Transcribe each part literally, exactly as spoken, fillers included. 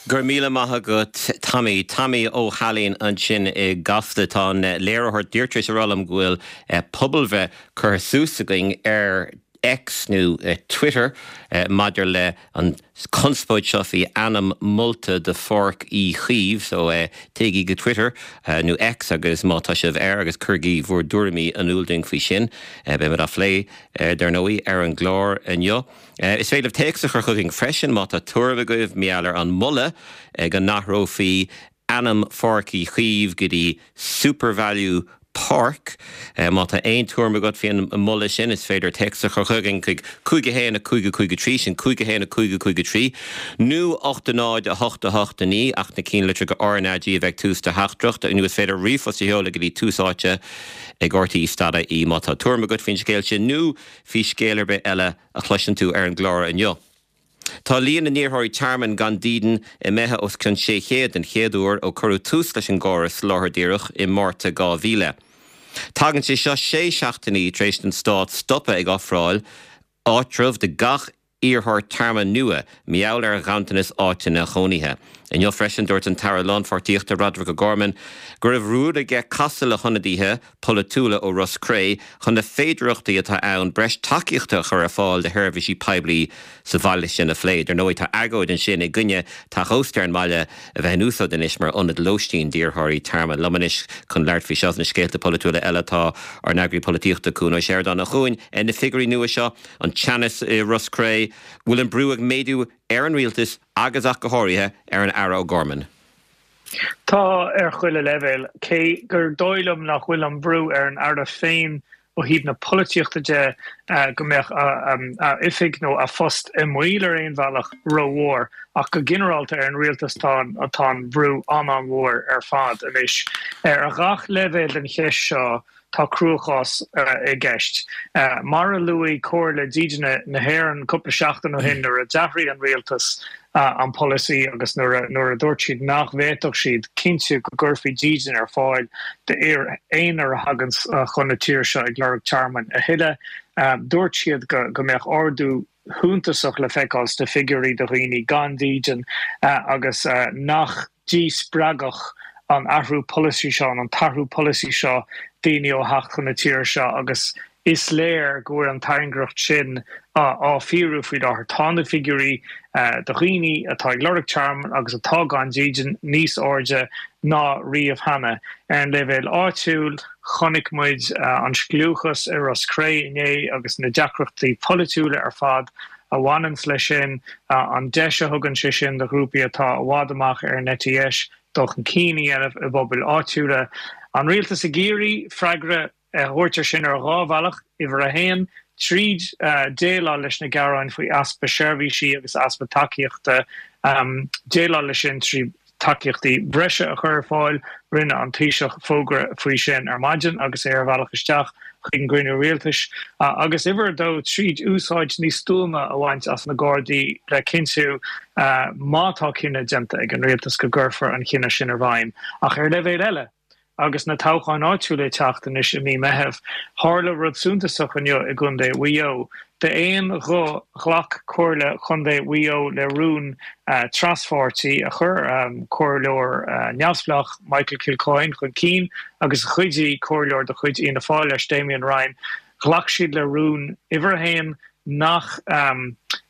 Go raibh míle maith agat Tommy Tommy Ó hAilín ansin i gCasla tá an léiritheoir díreach ag rá liom go bhfuil eh, pobalbhreith curtha suas againn ar X nó uh, Twitter uh, maidir le an conspóid seo faoi ainm molta de Pháirc Uí Chaoimh so uh, téigí go Twitter uh, nó X agus má tá sibh air agus cuirigí bhur dtuairimí in iúl dúinn faoi sin uh, beimid á phlé uh, dar ndóigh ar an gclár inniu. Uh, is féidir téacs a chur chugainn freisin má tá tuairim agaibh maidir leis an moladh uh, go n-athrófaí ainm Pháirc Uí Chaoimh go dtí SuperValu Park uh, má tá aon tuairim agat faoin moladh sin is féidir téacs a chur chugainn chuig cúig a haon a cúig cúig trí sin cúig a haon a cúig cúig trí, nó ocht náid a hocht a hocht naoi ach na ceannlitreacha RnaG a bheith tús do theachtaireacht nó is féidir ríomhphost a sheoladh go dtí Tús Áite ag RTÉ dot ie má tá tuairim agat faoin scéal sin nó faoi scéal ar bith eile a chloiseann tú ar an gclár inniu. Tá líon na n-iarrthóirí tearmainn gan dídean imithe os cionn sé chéad den chéad uair ó cuireadh tús leis an gcóras soláthair dhíreach i Márta dhá mhíle. Tagann sé seo sé seachtainí tar éis don stát stopadh ag ofráil áitreabh do gach iarrthóir tearmainn nua mar gheall ar ghanntanas áiteanna cónaithe. Inniu freisin dúirt an tAire Lánpháirtíochta Roderick O'Gorman go raibh rún aige casadh le hionadaithe polaitiúla ó Ros Cré chun na féidearthachtaí atá ann breis tacaíochta a chur ar fáil do sheirbhísí poiblí sa bhaile sin a phlé. Dar ndóigh tá agóid ansin i gcoinne teach ósta ar an mbaile a bheith in úsáid anois mar ionad lóistín d'iarrthóirí tearmainn. Liom anois chun labhairt faoi seo na scéalta polaitiúla eile tá ár n-eagraí polaitíochta Cuan Ó Seireadáin a Chuain ar na figiúirí nua seo an teannas i Ros Cré, bhfuil an brú ag méadú ar an rialtas agus ach go háirithe ar an Aire O'Gorman. Tá ar chuile leibhéal cé gur dóigh liom nach bhfuil an brú ar an Aire féin ó thaobh na polaitíochta de go mbeadh a oifig nó a phost i mbaol ar aon bhealach rómhór ach go ginearálta ar an rialtas tá atá an brú an-mhór ar fad anois. Ar gach leibhéal den cheist seo tá cruachás i gceist. Mar a luaigh Comhairle Dídine na hÉireann cúpla seachtain ó shin nuair a d'athraigh an rialtas an polasaí agus nuair nuair a dúirt siad nach bhféadfadh siad cinntiú go gcuirfí dídean ar fáil d'aon a thagann chun na tíre seo ag lorg tearmainn a thuilleadh. Dúirt siad go go mbeadh ardú suntasach le feiceáil sna figiúirí de dhaoine gan dídean agus nach díspreagfadh an athrú polasaí seo an t-athrú polasaí seo daoine ó theacht chun na tíre seo agus is léir go bhfuil an tairngreacht sin á fíorú faoi láthair tá na figiúirí de dhaoine atá ag lorg tearmainn agus atá gan dídean níos airde ná riamh cheana. Ar an leibhéal áitiúil chonaic muid an scliúchas i Ros Cré inné agus na deacrachtaí polaitiúla ar fad a bhaineann leis sin an deis a thugann sé sin do ghrúpaí atá i bhfad amach ar an eite dheis dul chun cinn a dhéanamh i bpobail áitiúla. An rialtas ag iarraidh freagra a thabhairt air sin ar dhá bhealach uimhir a haon, tríd déileáil leis na gearáin faoi easpa seirbhísí agus easpa tacaíochta déileáil leis sin trí tacaíochtaí breise a chur ar fáil, rinne an Taoiseach fógra faoi sin ar maidin agus é ar bhealach isteach chuig an gcruinniú rialtais agus uimhir a dó tríd úsáid níos stuama a bhaint as na Gardaí le cinntiú má tá cinneadh déanta ag an rialtas go gcuirfear an cinneadh sin i bhfeidhm ach ar leibhéal eile. agus na toghcháin áitiúla ag teacht anois i mí Meitheamh. Tharla rud suntasach inniu i gContae Mhaigh Eo. D'aon ghuth ghlac Comhairle Chontae Mhaigh Eo le rún traspháirtí a chuir comhairleoir neamhspleách Michael Kilcoyne chun cinn agus a chuidigh comhairleoir de chuid Fhianna Fáil leis Damien Ryan. Ghlac siad le rún uimhir a haon nach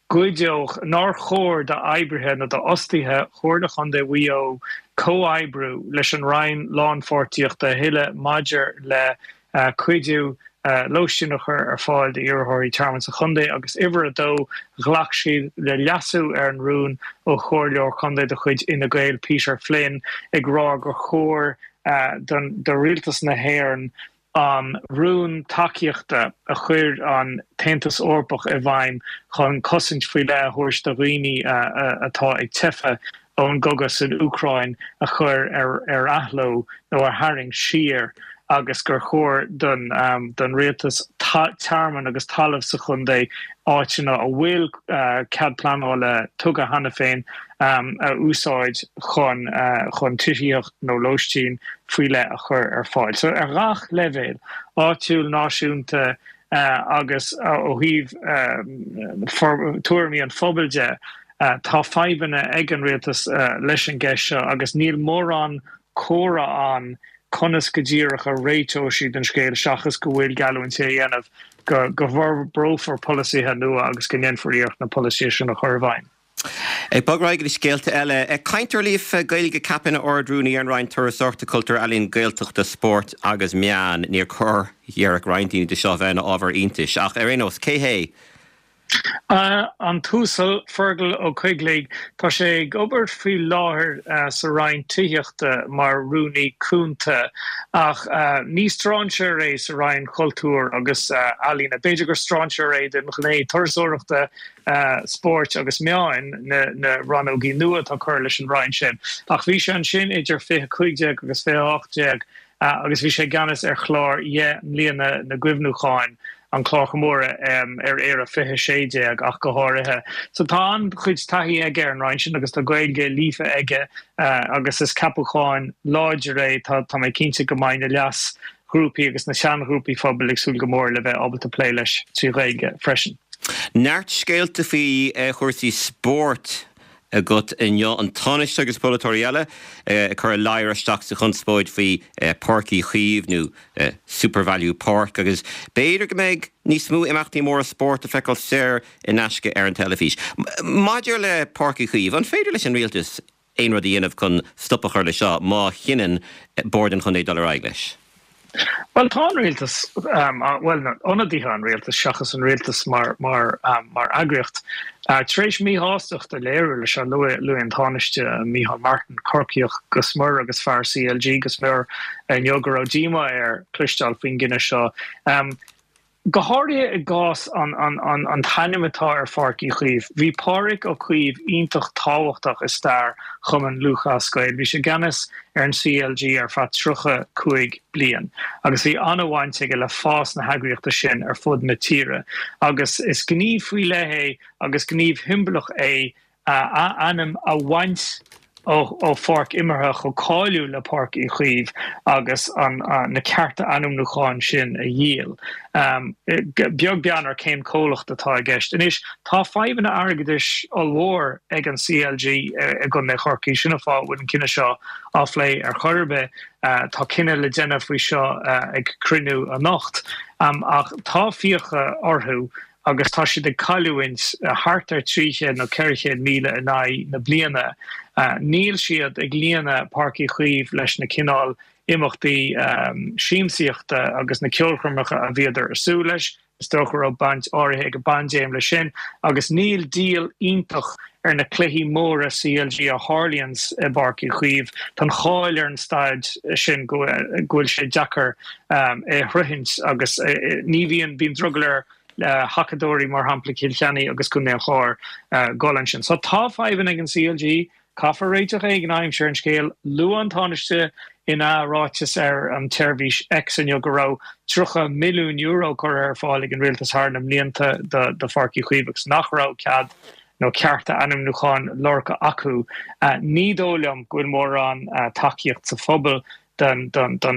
gcuideodh nár chóir d'oibrithe nó d'fhostaithe Chomhairle Chontae Mhaigh Eo comhoibriú leis an Roinn Lánpháirtíochta a thuilleadh maidir le cuidiú lóistín a chur ar fáil d'iarrthóirí tearmainn sa chontae agus uimhir a dó ghlac siad le leasú ar an rún ó chomhairleoir contae de chuid Fhine Gael Peter Flynn ag rá gur chóir do rialtas na hÉireann an rún tacaíochta a chuir an tAontas Eorpach i bhfeidhm chun cosaint faoi leith a thabhairt do dhaoine atá ag teitheadh ón gcogadh san Úcráin a chur ar ar athló nó a tharraingt siar agus gur chóir don don rialtas tearmann agus talamh sa chontae áiteanna a bhfuil cead pleanála tugtha cheana féin a úsáid chun chun tithíocht nó lóistín faoi leith a chur ar fáil. So ar gach leibhéal áitiúil náisiúnta agus ó thaobh tuairimí an phobail de Tá fadhbanna ag an rialtas leis an gceist seo agus níl mórán comhrá ann conas go díreach a réiteoidh siad an scéal seachas go bhfuil geallúint á dhéanamh go go bhforbrófar polasaithe nua agus go ndéanfar iarracht na polasaithe sin a chur i bhfeidhm. Ag bogadh ar aghaidh le scéalta eile, cainteoir líofa Gaeilge ceaptha ina Ard-Rúnaí ar an Roinn Turasóireachta, Cultúir, Ealaíon, Gaeltachta, Spóirt agus Meán. Níor chóir, déarfadh roinnt daoine, do seo bheith ina ábhar iontais, ach ar aon nós, cé hé? An tUasal Fergal Ó Coigligh, tá sé ag obair faoi láthair sa Roinn Tithíochta mar Rúnaí Cúnta ach ní strainséir é sa Roinn Cultúir agus Ealaíona. B'fhéidir gur strainséir é don ghné turasóireachta, spóirt agus meáin, na rannógaí nua atá curtha leis an Roinn sin. Ach bhí sé ansin idir fiche cúig déag agus fiche ocht déag agus bhí sé i gceannas ar chlár dheich mbliana na gcuimhniúcháin, an clár comórtha ar Éire fiche sé déag ach go háirithe. So tá an-chuid taithí aige ar an Roinn sin agus tá Gaeilge líofa aige agus is ceapachán láidir é. Tá tá mé cinnte go mbeidh na leasghrúpaí agus na seanghrúpaí phobail ag súil go mór le bheith ábalta plé leis trí Ghaeilge freisin. Neart scéalta faoi chúrsaí spóirt agat inniu, an Tánaiste agus polaiteoirí eile ag cur a ladhar isteach sa chonspóid faoi Páirc Uí Chaoimh nó Supervalu Park agus b'fhéidir go mbeidh níos mó imeachtaí móra spóirt le feiceáil saor in aisce ar an teilifís. Maidir le Páirc Uí Chaoimh, an féidir leis an rialtas aon rud a dhéanamh chun stop a chur leis seo má chinneann Bord an Chontae dul ar aghaidh leis? Bhuel, tá an rialtas, bhuel, ionadaithe an rialtais seachas an rialtas mar mar mar eagraíocht, tar éis míshástacht a léiriú leis seo. Luaigh an Tánaiste Micheál Martin, Corcaíoch go smior agus fear C L G go smior, inniu go raibh díomá air cloisteáil faoin gcinneadh seo. Go háirithe i gcás an an t-ainm atá ar Pháirc Uí Chaoimh. Bhí Pádraig Ó Caoimh iontach tábhachtach i stair Chumann Lúthchleas Gael. Bhí sé i gceannas ar an C L G ar feadh tríocha cúig bliain agus bhí an-bhaint aige le fás na heagraíochta sin ar fud na tíre. Agus is gníomh faoi leith é agus gníomh shiombalach é a ainm a bhaint ó pháirc imeartha chomh cáiliúil le Páirc Uí Chaoimh agus an na cearta ainmniúcháin sin a dhíol, beag beann ar cén comhlacht atá i gceist. Anois, tá fadhbanna airgeadais ollmhór ag an C L G i gContae Chorcaí, sin an fáth a bhfuil an cinneadh seo á phlé ar chor ar bith. Tá cinneadh le déanamh faoi seo ag cruinniú anocht, ach tá fiacha orthu agus tá siad ag cailliúint thart ar trí chéad nó ceithre chéad míle in aghaidh na bliana. Níl siad ag líonadh Páirc Uí Chaoimh leis na cineál imeachtaí siamsaíochta agus na ceolchoirmeacha a bhíodar ag súil leis. Is dócha go raibh baint áirithe ag an bpaindéim leis sin agus níl díol iontach ar na cluichí móra C L G a tharlaíonn i bPáirc Uí Chaoimh. Tá an cháil ar an staid sin go bhfuil sé deacair é a shroichint agus ní bhíonn bíonn drogall ar thacadóirí mar shampla Cill Chainnigh agus Contae an Chláir dul ansin. So tá fadhbanna ag an C L G, caithfear réiteach éigin a aimsiú ar an scéal. Luaigh an Tánaiste ina ráiteas ar an tseirbhís X inniu go raibh tríocha milliún euro curtha ar fáil ag an rialtas thar na mblianta do Pháirc Uí Chaoimh agus nach raibh cead nó cearta ainmniúcháin lorgtha acu. Ní dóigh liom go bhfuil mórán tacaíocht sa phobal don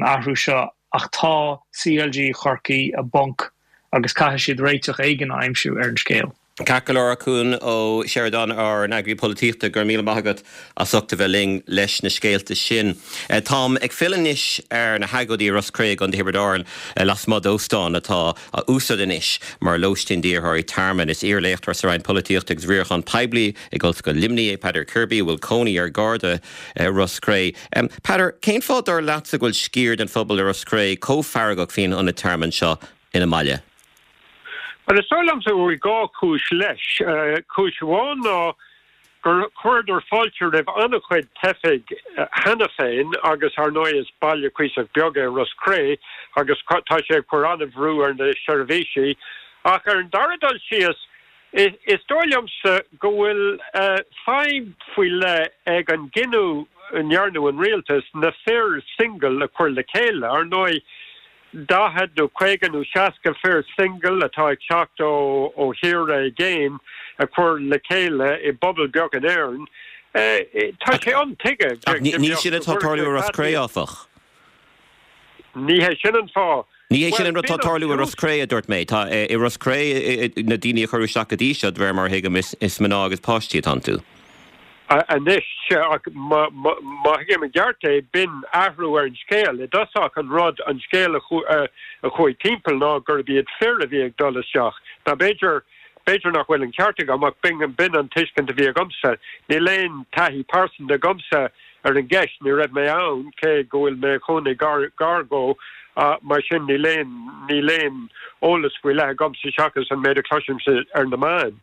athrú seo ach tá C L G Chorcaí i bponc agus caithfidh siad réiteach éigin a aimsiú ar an scéal. Ceart go leor, Cuan Ó Seireadáin, ár n-eagraí polaitíochta, go raibh míle maith agat as ucht a bheith linn leis na scéalta sin. Táim ag filleadh anois ar na hagóidí i Ros Cré i gContae Thiobraid Árann lasmuigh d'óstán atá á úsáid anois mar lóistín d'iarrthóirí tearmainn. Is iar-léachtóir sa Roinn Polaitíochta agus Riaracháin Poiblí ag Ollscoil Luimnigh é Peadar Kirby a bhfuil cónaí air gar do Ros Cré. Peadar, cén fáth dar leatsa go bhfuil sciar den phobal i Ros Cré chomh feargach faoin ionad tearmainn seo ina mbaile? Well, is dóigh liomsa go bhfuil dhá chúis leis. Cúis amháin ná gur chuireadar fáilte roimh an-chuid teifigh cheana féin agus ar ndóigh is baile cuíosach beag é Ros Cré agus tá sé ag cur an-bhrú ar na seirbhísí. Ach ar an dara dul síos, is dóigh liomsa go bhfuil fadhb faoi leith ag an gcinneadh a ndearna an rialtas na fir single a chur le chéile. Ar ndóigh, daichead nó caoga nó seasca fir single atá ag teacht ó ó thíortha i gcéin a chur le chéile i bpobal beag in Éirinn. Tá sé intuigthe. Ní sin atá tarlú i Ros Cré áfach. Ní hé sin an fáth. Ní hé sin an rud atá ag tarlú i Ros Cré, a dúirt mé. Tá i Ros Cré na daoine a cuireadh isteach go dtí seo, de réir mar a thuigim, is mná agus páistí atá iontu. Anois, ach má thuigim i gceart é, b'in athrú ar an scéal. I dtosach an rud, an scéal a chuaigh timpeall ná gurb iad fir a bhí ag dul isteach. Now b'fhéidir, b'fhéidir nach bhfuil an ceart agam ach b'in, b'in an tuiscint a bhí agamsa. Níl aon taithí pearsanta agamsa ar an gceist, ní raibh mé ann, cé go bhfuil mé i mo chónaí gar, gar dhó, mar sin níl aon, níl aon eolas faoi leith agamsa seachas an méid a chloisimse ar na meáin.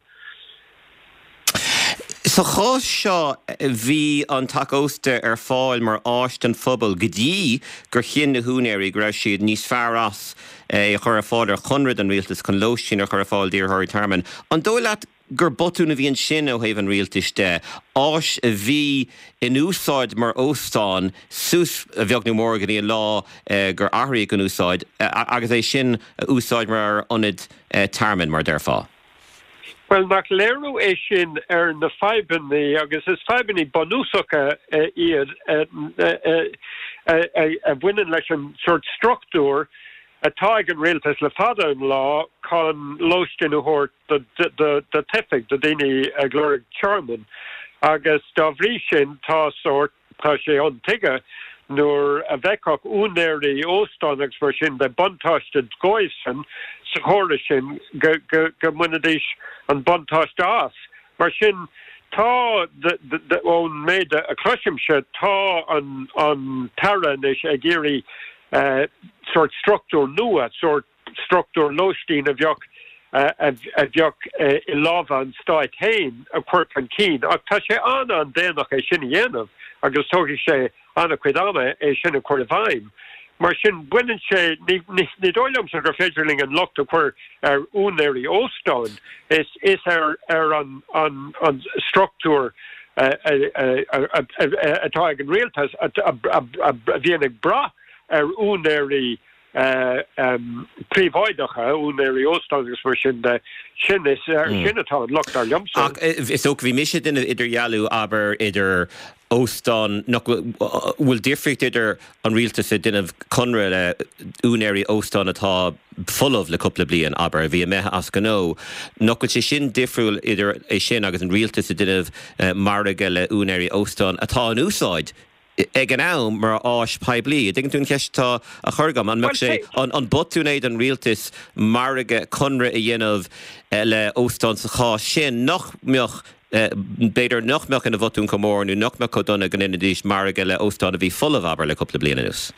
Sa chás seo, bhí an teach ósta ar fáil mar áis don phobal go dtí gur chinn na húinéirí go raibh siad níos fearr as é a chur ar fáil ar chonradh don rialtas chun lóistín a chur ar fáil d'iarrthóirí tearmainn. An dóigh leat gur botún a bhí ansin ó thaobh an rialtais de, áis a bhí in úsáid mar óstán suas a bheag nó mór go dtí an lá gur athraíodh an úsáid agus é sin a úsáid mar ionad tearmainn, mar a déarfá? Bhuel, nach léiriú é sin ar na fadhbanna, agus is fadhbanna bunúsacha iad, a bhaineann leis an sórt struchtúr atá ag an rialtas le fada an lá chun lóistín a thabhairt do theifigh, do dhaoine ag lorg tearmainn. Agus dá bhrí sin tá sórt, tá sé intuigthe nuair a bhfeicfeadh úinéirí óstán agus mar sin de buntáiste dóibhsean sa chóras sin go mbainfidís an buntáiste as. Mar sin, tá, ón méid a chloisimse, tá an tAire anois ag iarraidh sórt struchtúr nua, sórt struchtúr lóistín a bheadh a bheadh i lámha an stáit féin a chur chun cinn. Ach tá sé an-an-déanach é sin a dhéanamh agus tógfaidh sé an-chuid ama é sin a chur i bhfeidhm. Mar sin, baineann sé, ní dóigh liomsa gur féidir linn an locht a chur ar úinéirí óstáin, is is ar ar an an an struchtúr atá ag an rialtas a bhíonn ag brath ar úinéirí príobháideacha, úinéirí óstán agus mar sin de, sin is air sin atá an locht dar liomsa. Ach is dócha, bhí mise ag déanamh idirdhealú, abair, idir óstán, nach bhfuil difríocht idir an rialtas ag déanamh conradh le úinéirí óstán atá folamh le cúpla bliain, abair, a bhí imithe as gnó, nach bhfuil sé sin difriúil idir é sin agus an rialtas ag déanamh margadh le úinéirí óstán atá in úsáid ag an am mar áis poiblí. An dtuigeann tú an cheist atá á chur agam? An mbeadh sé, an botún é don rialtas margadh, conradh a dhéanamh le óstán sa chás sin nach mbeadh, b'fhéidir nach mbeadh ina bhotún chomh mór nó nach mbeadh chomh dona go ndéanfaidís margadh le óstán a bhí folamh, abair, le cúpla bliain anuas?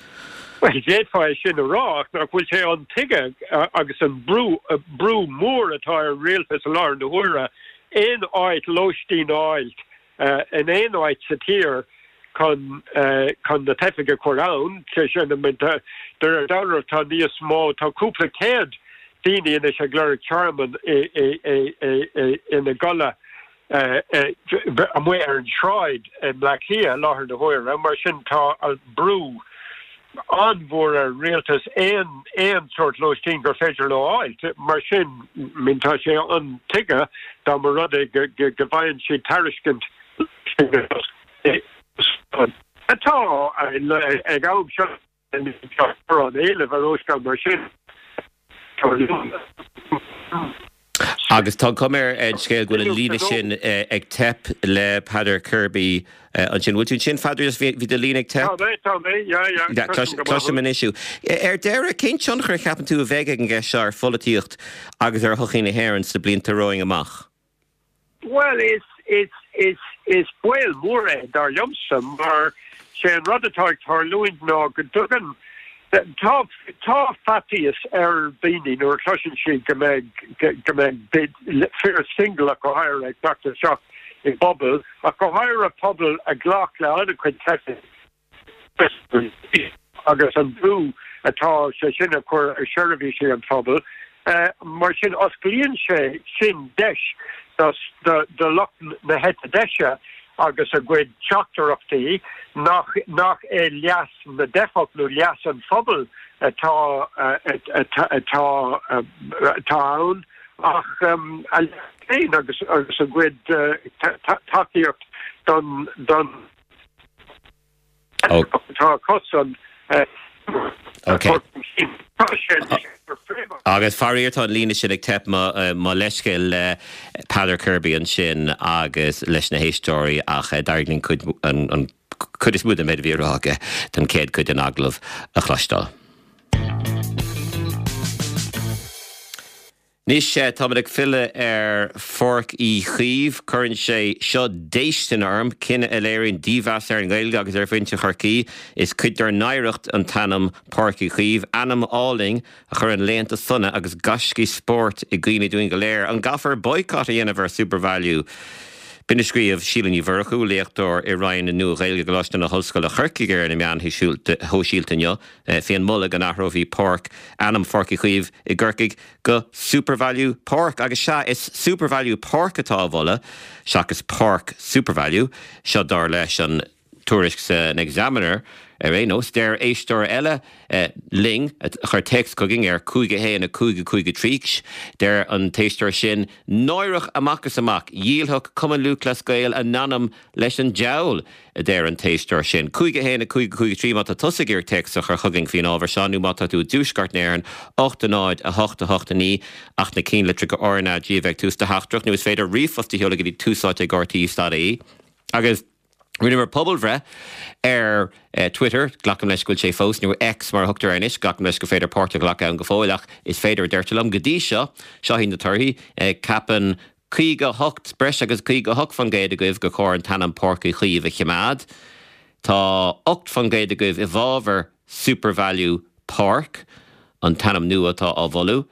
Bhuel, d'fhéadfá é sin a rá ach nach bhfuil sé intuigthe agus an brú, brú mór atá ar an rialtas i láthair na huaire aon áit lóistín a fháilt in aon áit sa tír chun chun na teifigh a chur ann, sé sin, de réir dealraimh tá níos mó, tá cúpla céad daoine anois ag lorg tearmann ina gcodladh amuigh ar an tsráid i mBleá Cliath i láthair na huaire. Mar sin tá an brú an-mhór ar an rialtas aon aon sórt lóistín gur féidir leo a fháilt. Mar sin, tá sé intuigthe dá mba rud é go bhfaigheann siad tairiscint atá ag am seo an éileamh ar óstán mar sin. Agus tá an chuma ar an scéal go bhfuil an líne sin ag teip le Peadar Kirby ansin. Bhfuil tú ansin, Pheadair? Just bhí do líne ag teip. Tá mé, tá mé, yeah, yeah. Cloisim anois thú. Ar deireadh, cén tionchar a cheapann tú a bheidh ag an gceist seo ar pholaitíocht agus ar shochaí na hÉireann sna blianta romhainn amach? Bhuel, is, is, is, is baol mór é, dar liomsa, mar sé an rud atá ag tarlúint ná go dtugann, tá, tá faitíos ar dhaoine nuair a chloiseann siad go mbeidh, go mbeidh fir singil ach go háirithe ag teacht isteach i bpobal, ach go háirithe pobal a ghlac le an-chuid teifigh. agus an brú atá sé sin a chur ar sheirbhísí an phobail. Mar sin, osclaíonn sé sin deis do lucht na heite deise agus a gcuid teachtaireachtaí nach nach é leas na dteifeach nó leas an phobail atá atá atá ann ach a leas féin agus agus a gcuid tacaíocht don don Tá cosan. a chur chun cinn. Tá sé anois mar phríomh. Agus faraor tá an líne sin ag teip, mo leithscéal le Peadar Kirby ansin agus leis na héisteoirí ach d'éirigh linn cuid an cuid is mó den méid a bhí á rá aige don chéad chuid den agallamh a chloisteáil. Anois táimid ag filleadh ar Pháirc Uí Chaoimh. Cuireann sé seo déistin orm, cinneadh a léiríonn dímheas ar an nGaeilge agus ar mhuintir Chorcaí. Is cuid dár n-oidhreacht an t-ainm Páirc Uí Chaoimh, ainm álainn a chuireann laethanta sona agus gaiscí spóirt i gcuimhne dúinn go léir. An gcaithfear boycott a dhéanamh ar SuperValu? B'in a scríobh Síle Ní Mhurchú, léachtóir i Roinn na Nua-Ghaeilge i gColáiste na hOllscoile Corcaigh ar na meáin shóisialta inniu faoin moladh go n-athrófaí páirc ainm Pháirc Uí Chaoimh i gCorcaigh go SuperValu Park. Agus sea, is SuperValu Park atá á mholadh seachas Páirc SuperValu. Seo dar leis an tuairisc san Examiner ar aon nós. Deir éisteoir eile linn, a chuir téacs chugainn ar cúig a haon a cúig a cúig a trí, deir an t-éisteoir sin, Náireach amach is amach, dhíolfadh Cumann Lúthchleas Gael a n-anam leis an diabhal, a deir an t-éisteoir sin. cúig a haon a cúig a cúig a trí má tá tusa ag iarraidh téacs a chur chugainn faoin ábhar seo nó má tá tú i dtuaisceart na hÉireann, ocht a náid a hocht a hocht a naoi ach na cinnlitreacha R N A G a bheith ag tús do theachtaireacht nó is féidir ríomhphost a sheoladh go dtí túsáite ag R T E dot I E agus Rinneamar pobalbhreith ar Twitter, glacaim leis go bhfuil sé fós, nó X mar a thugtar air anois, glacaim leis gur féidir páirt a ghlacadh ann go fóill, ach is féidir a deirtear liom. Go dtí seo, seo iad na torthaí, ceapann caoga a hocht, breis agus caoga a hocht faoin gcéad agaibh gur chóir an t-ainm Páirc Uí Chaoimh a choimeád. Tá ocht faoin gcéad agaibh i bhfabhar SuperValu Park, an t-ainm nua atá á mholadh.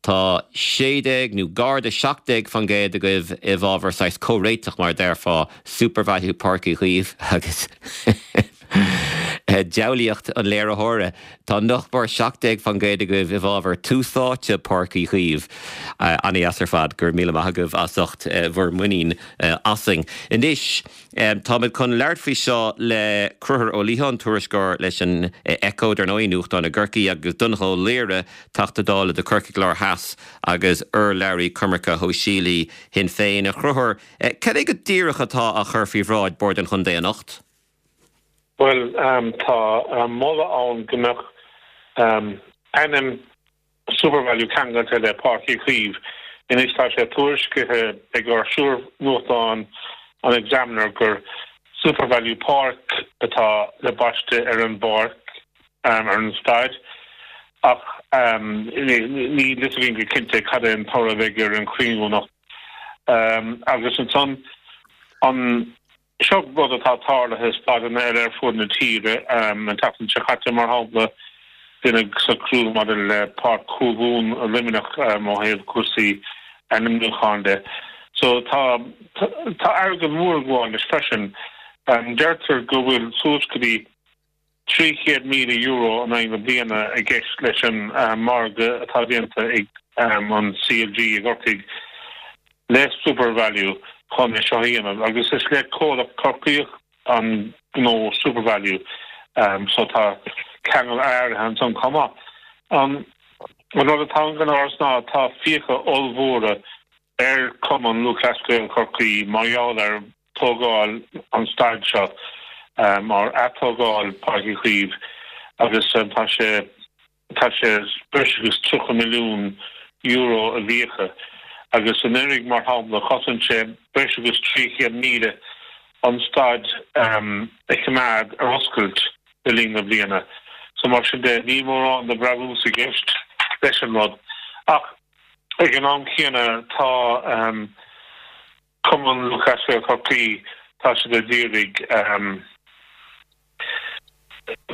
Tá sé déag nó gar do seacht déag faoin gcéad agaibh i bhfabhar saghas comhréiteach mar a déarfá, SuperValu Páirc Uí Chaoimh agus diabhlaíocht an léiritheora. Tá nach mór seacht déag faoin gcéad agaibh i bhfabhar Tús Áite Páirc Uí Chaoimh. An-dheas ar fad. Go raibh míle maith agaibh as ucht bhur muinín asainn. Anois táimid chun labhairt faoi seo le Conchúr Ó Liatháin, tuairisceoir leis an Echo, dar ndóigh, nuachtán i gCorcaigh, agus Donnchadh Ó Laoghaire, Teachta Dála do Chorcaigh Láir Theas agus urlabhraí coimirce shóisialaí Shinn Féin. A Chonchúir, cad é go díreach atá á chur faoi bhráid Bord an Chontae anocht? Bhuel, tá moladh ann go mbeadh ainm SuperValu ceangailte le Páirc Uí Chaoimh. Anois tá sé tuairiscithe ag ár siúr-nuachtán an Examiner gur SuperValu Park atá le baisteadh ar an bpáirc, ar an staid, ach níl fhios againn go cinnte cad é an toradh a bheidh ar an chruinniú anocht. Agus ansan, an, seo rud atá tarlaithe i staideanna eile ar fud na tíre, an tseachtain seo caite, mar shampla, deineadh socrú maidir le Páirc Chúil Mhumhan i Luimneach ó thaobh cúrsaí ainmniúcháin de. So tá tá airgead mór ag gabháil leis freisin. Deirtear go bhfuil suas go dtí trí chéad míle euro in aghaidh na bliana i gceist leis an margadh atá déanta ag an C L G i gCorcaigh le SuperValu chun é seo a dhéanamh agus is le comhlacht Corcaíoch an gnó SuperValu so tá ceangal áirithe ansan chomh maith. An rud atá gan amhras ná tá fiacha ollmhóra ar Chumann Lúthchleas Gael Chorcaí mar gheall ar tógáil an staid seo, mar atógáil Páirc Uí Chaoimh agus tá sé tá sé breis agus tríocha milliún euro i bhfiacha agus anuraidh mar shampla chosain sé breis agus trí chéad míle an staid a choimeád ar oscailt le linn na bliana. So mar sin de níl mórán de bhrabús i gceist leis an rud. Ach ag an am céanna tá Cumann Lúthchleas Gael Chorcaí, tá siad ag iarraidh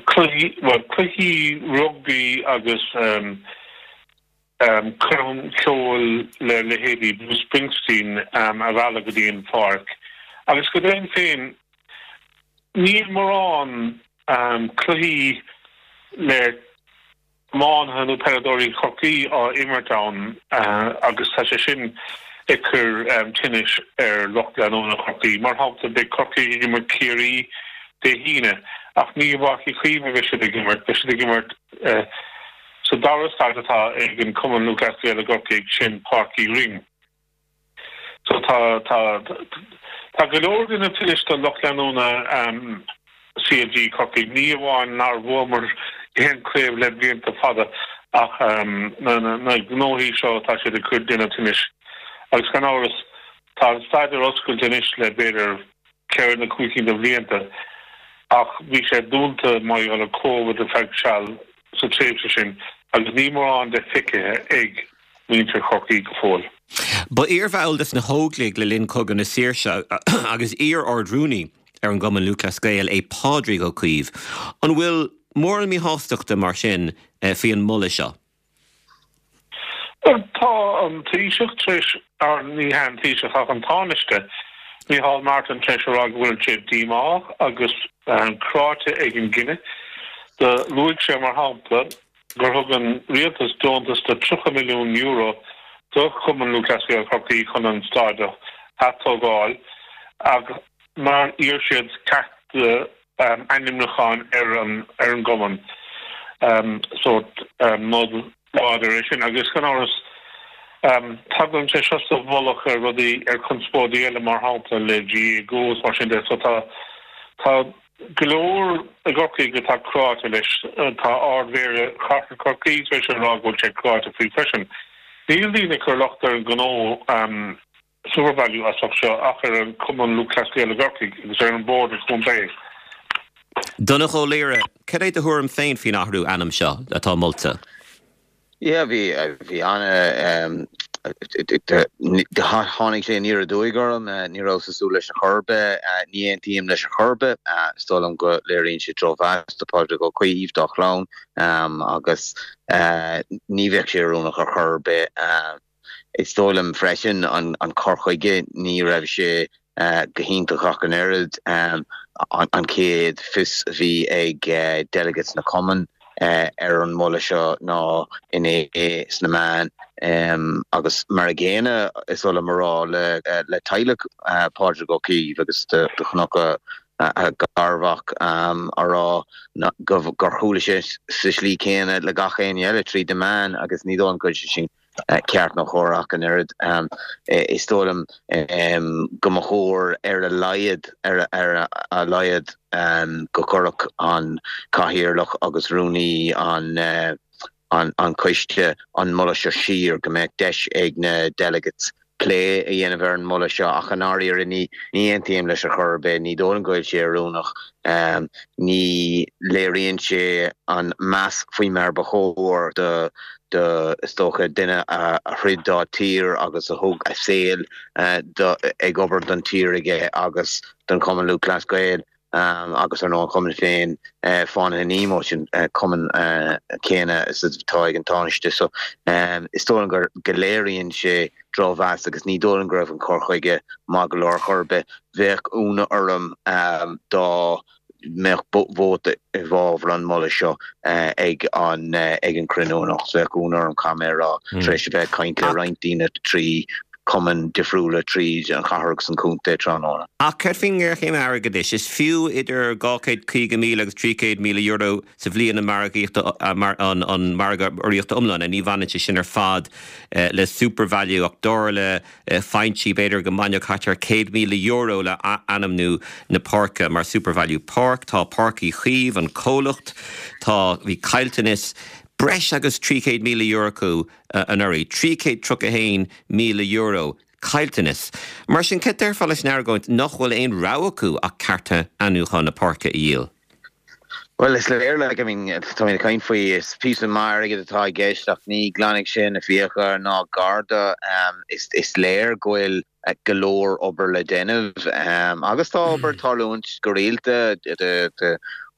cluichí, bhuel cluichí rugbaí agus coirm ceoil le leithéidí Bruce Springsteen a mhealladh go dtí an pháirc. Agus go deimhin féin níl mórán cluichí le iománaithe nó peileadóirí Chorcaí á imirt ann agus tá sé sin ag cur tinnis ar lucht leanúna Chorcaí. Mar shampla, beidh Corcaigh ag imirt Ciarraí Dé hAoine ach ní i bPáirc Uí Chaoimh a bheidh siad ag imirt, beidh siad ag imirt sa dara staid atá ag an Cumann Lúthchleas Gael i gCorcaigh, sin Páirc Uí Rinn. So tá tá tá go leor ag déanamh tinnis do lucht leanúna C L G Corcaigh, ní amháin nár bhuamar haon craobh le blianta fada ach na gnóthaí seo tá siad ag cur duine tinnis. Agus gan amhras tá an staid ar oscailt anois le b'fhéidir ceithre nó cúig cinn de bhlianta ach bhí sé dúnta mar gheall ar Covid ar feadh seal sa tréimhse sin agus níl mórán de feicthe ag muintir Chorcaí go fóill. Ba iarbhall de na hÓglaigh le linn Cogadh na Saoirse agus iar-Ard-Rúnaí ar an gCumann Lúthchleas Gael é Pádraig Ó Caoimh. An bhfuil mórán míshástachta mar sin faoi an moladh seo? Tá an Taoiseach tar éis, ní hea an Taoiseach ach an Tánaiste, Micheál Martin tar éis a rá go bhfuil sé díomách agus cráite ag an gcinneadh. Do luaigh sé mar shampla gur thug an rialtas deontas de tríocha milliún euro do Chumann Lúthchleas Gael Chorcaí chun an staid a atógáil ach nár iarr siad ceart ainmniúcháin ar an ar an gcumann. Sórt nod láidir é sin agus gan amhras tagann sé seo sa mhullach ar rudaí ar conspóidí eile mar shampla le GAA Go is mar sin de so tá tá go leor i gCorcaigh atá cráite leis. Tá Ard-Mhéara Chathair Chorcaí tar éis a rá go bhfuil sé cráite faoi freisin. Níl daoine ag cur locht ar an ngnó SuperValu as ucht seo ach ar an Cumann Lúthchleas Gael i gCorcaigh agus ar an Bord an Chontae. Donncha Ó Laoghaire, cad é do thuairim féin faoin athrú ainm seo atá molta? Yeah, bhí bhí ana tháinig sé aniar aduaidh orm, ní rabhas ag súil leis ar chor ar bith, ní aontaím leis ar chor ar bith. Is dóigh liom go léiríonn sé drochmheas do Phádraig Ó Caoimh, dá chlann, agus ní bheadh sé oiriúnach ar chor ar bith. Is dóigh liom freisin an cur chuige, ní raibh sé go hiontach ach an oiread. An chéad fios a bhí ag delegates na cumann ar an moladh seo ná inné sna meáin agus mar a gcéanna is dóigh liom a rá le teaghlach Pádraig Ó Caoimh agus do chonac a garmhac a rá gur chuala sé sa slí céanna le gach éinne eile tríd na meáin agus ní dóigh liom go bhfuil sé sin ceart nó cóir ach an oiread. Is dóigh liom go mba chóir ar a laghad ar a laghad go gcuirfeadh an cathaoirleach agus rúnaí an an choiste an moladh seo siar, go mbeadh deis ag na delegates plé a dhéanamh ar an moladh seo ach i ndáiríre ní ní aontaím leis ar chor ar bith, ní dóigh liom go bhfuil sé oiriúnach, ní léiríonn sé an meas faoi mar ba chóir do do is dócha duine a throid dá tír agus a thug a saol ag obair don tír aige agus don Chumann Lúthchleas Gael agus ar ndóigh an cumann féin Fánaithe Nemo sin cumann céanna is atá ag an Tánaiste so is dóigh liom gur go léiríonn sé drochmheas agus ní dóigh liom go raibh an cur chuige maith go leor ar chor ar bith. Bheadh ionadh orm dá mbeadh vóta i bhfabhar an mholadh seo ag an ag an cruinniú anocht. Bheadh ionadh orm caithfidh mé a rá tar éis a bheith ag caint le roinnt daoine trí cumainn difriúla tríd an chathair agus an contae tráthnóna. Ach céard faoin ngéarchéim airgeadais? Is fiú idir dhá chéad caoga míle agus trí chéad míle euro sa bhliain an margaíocht an an margadh urraíochta iomlán. Ní bhaineann sé sin ar fad le SuperValu ach dar le foinsí b'fhéidir go mbainfeadh thart ar céad míle euro le ainmniú na páirce mar SuperValu Park. Tá Páirc Uí Chaoimh, an comhlacht, tá bhí caillteanas breis agus trí chéad míle euro acu anuraidh, trí chéad tríocha a haon míle euro caillteanas. Mar sin, cad déarfá leis an argóint nach bhfuil aon rogha acu ach cearta ainmniúcháin na páirce a dhíol? Bhuel, is léir, like, I mean, táimid ag caint faoi, is píosa maith airgid atá i gceist ach ní ghlanfaidh sé na fiacha ná gar dó. Is, is léir go bhfuil go leor obair le déanamh agus tá obair ag tarlúint go rialta.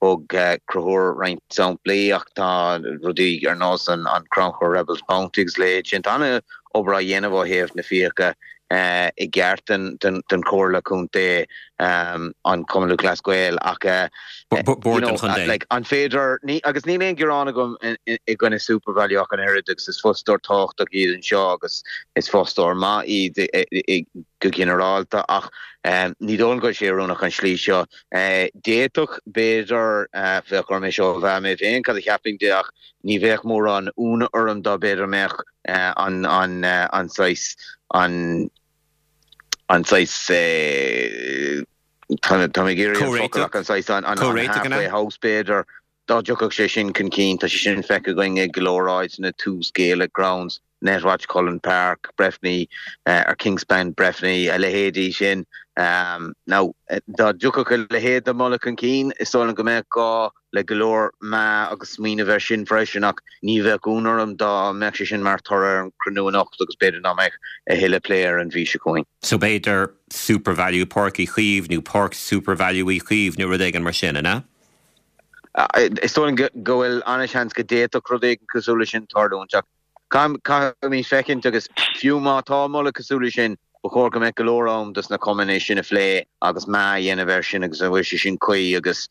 Thug Conchúr roinnt samplaí ach tá rudaí ar nós an Crannchur Rebels Bounty agus a leithéid sin. Tá an-obair á dhéanamh ó thaobh na fiacha i gceart den Chomhairle Contae, an Cumann Lúthchleas Gael ach Bord an Chontae. like an féidir, agus níl aon ghearán agam i gcoinne SuperValu ach an oiread agus is fostóir tábhachtach iad anseo agus is fostóir maith iad go ginearálta ach ní dóigh liom go bhfuil sé oiriúnach an slí seo. D'fhéadfadh, b'fhéidir, bheadh orm é seo a mheá mé féin cad a cheapfainn de ach ní bheadh mórán ionadh orm dá b'fhéidir mbeadh an an an saghas an an saghas tá mé ag iarraidh an focal ach an saghas an an halfway house b'fhéidir dá dtiocfadh sé sin chun cinn, tá sé sin feicthe againn ag go leor áiteanna, Tús, Gaelic Grounds, Netwatch Cullen Park, Breffni, ar Kingspan Breffni, a leithéidí sin. Now, dá dtiocfadh a leithéid de mholadh chun cinn, is dóigh liom go mbeadh gá le go leor meá agus smaoineamh air sin freisin ach ní bheadh ionadh orm dá mbeadh sé sin mar thoradh ar an chruinniú anocht agus b'fhéidir nach mbeadh a thuilleadh plé air an mhí seo chugainn. So b'fhéidir Supervalu Páirc Uí Chaoimh nó Páirc Supervalu Uí Chaoimh nó rud éigin mar sin, an ea? Is dóigh liom go bhfuil an-seans go d'fhéadfadh rud éigin cosúil leis sin tarlúint ach caithfimid féachaint agus fiú má tá moladh cosúil leis sin, ba chóir go mbeadh go leor am dos na cumainn é sin a phlé agus meá a dhéanamh air sin agus an bhfuil sé sin cuí agus